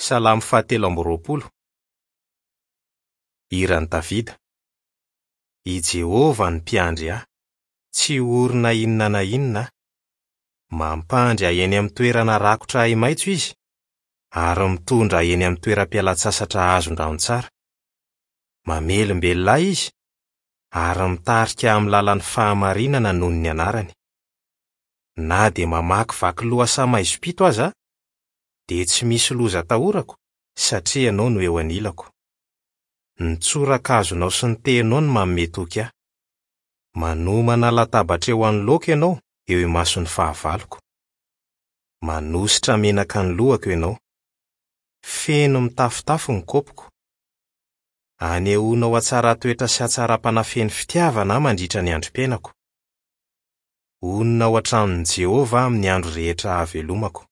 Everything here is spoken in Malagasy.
Salamo fahatelo amby 20. Hiran'i Davida. I Jehovah no mpiandry ahy. Tsy ho ory na inona na inona aho. Mampandry ahy eny amin'ny toerana rakotra ahi-maitso izy, ary mitondra ahy eny amin'ny toeram-pialan-tsasatra azon-drano tsara. Mamelombelona ahy izy, ary mitarika ahy amin'ny lalan'ny fahamarinana noho ny anarany. Na dia mamakivaky lohasaha maizim-pito aza aho, dia tsy misy loza atahorako, satria ianao no eo anilako. Ny tsorakazonao sy ny tehinao no manome toky ahy. Manomana latabatra eo anoloako ianao eo imason'ny fahavaloko. Manosotra menaka ny lohako ianao. Feno mitafotafo ny kaopiko. Anehoanao hatsaran-toetra sy hatsaram-panahy feno fitiavana aho mandritra ny androm-piainako. Honina ao an-tranon'i Jehovah aho amin'ny andro rehetra ahavelomako.